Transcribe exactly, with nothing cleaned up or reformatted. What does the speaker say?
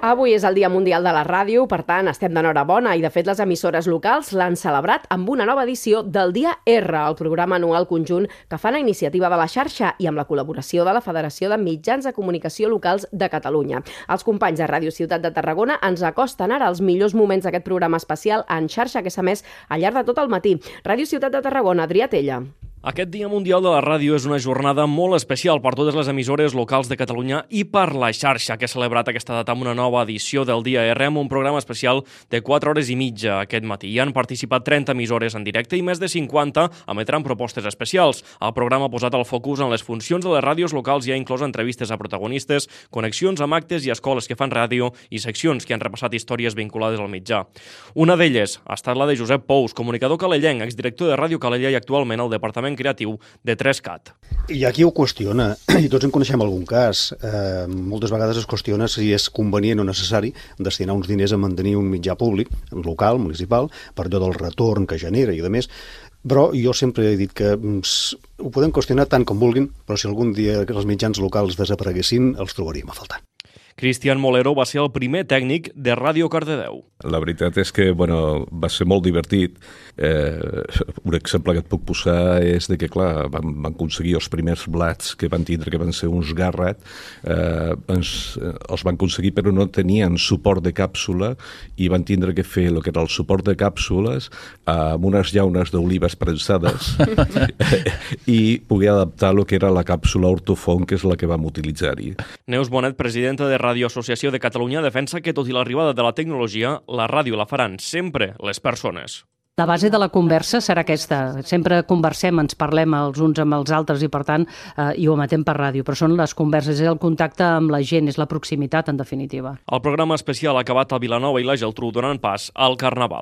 Avui és el Dia Mundial de la Ràdio, per tant, estem d'enhorabona i, de fet, les emissores locals l'han celebrat amb una nova edició del Dia R, el programa anual conjunt que fan a iniciativa de la xarxa i amb la col·laboració de la Federació de Mitjans de Comunicació Locals de Catalunya. Els companys de Ràdio Ciutat de Tarragona ens acosten ara els millors moments d'aquest programa especial en xarxa que s'ha emès al llarg de tot el matí. Ràdio Ciutat de Tarragona, Adrià Tella. Aquest Dia Mundial de la Ràdio és una jornada molt especial per totes les emissores locals de Catalunya i per la xarxa, que ha celebrat aquesta data amb una nova edició del Dia R, amb un programa especial de quatre hores i mitja aquest matí. Hi han participat trenta emissores en directe i més de cinquanta emetran propostes especials. El programa ha posat el focus en les funcions de les ràdios locals i ha inclòs entrevistes a protagonistes, connexions amb actes i escoles que fan ràdio i seccions que han repassat històries vinculades al mitjà. Una d'elles ha estat la de Josep Pous, comunicador calellenc, exdirector de Ràdio Calella i actualment al Departament Creatiu de tres cat. Hi ha qui ho qüestiona, i tots en coneixem algun cas. Eh, moltes vegades es qüestiona si és convenient o necessari destinar uns diners a mantenir un mitjà públic, local, municipal, per allò del retorn que genera i de més. Però jo sempre he dit que ho podem qüestionar tant com vulguin, però si algun dia els mitjans locals desapareguessin, els trobaríem a faltar. Cristian Molero va ser el primer tècnic de Ràdio Cardedeu. La veritat és que bueno, va ser molt divertit. Eh, un exemple que et puc posar és de que, clar, van, van aconseguir els primers blats que van tindre, que van ser uns Garrett, eh, ens, els van aconseguir però no tenien suport de càpsula i van tindre que fer el que era el suport de càpsules amb unes llaunes d'olives prensades i poder adaptar el que era la càpsula ortofon, que és la que vam utilitzar-hi. Neus Bonet, presidenta de Ràdio Associació de Catalunya, defensa que tot i l'arribada de la tecnologia, la ràdio la faran sempre les persones. La base de la conversa serà aquesta. Sempre conversem, ens parlem els uns amb els altres i, per tant, eh, i ho emetem per ràdio. Però són les converses, és el contacte amb la gent, és la proximitat, en definitiva. El programa especial ha acabat a Vilanova i la Geltrú donant pas al Carnaval.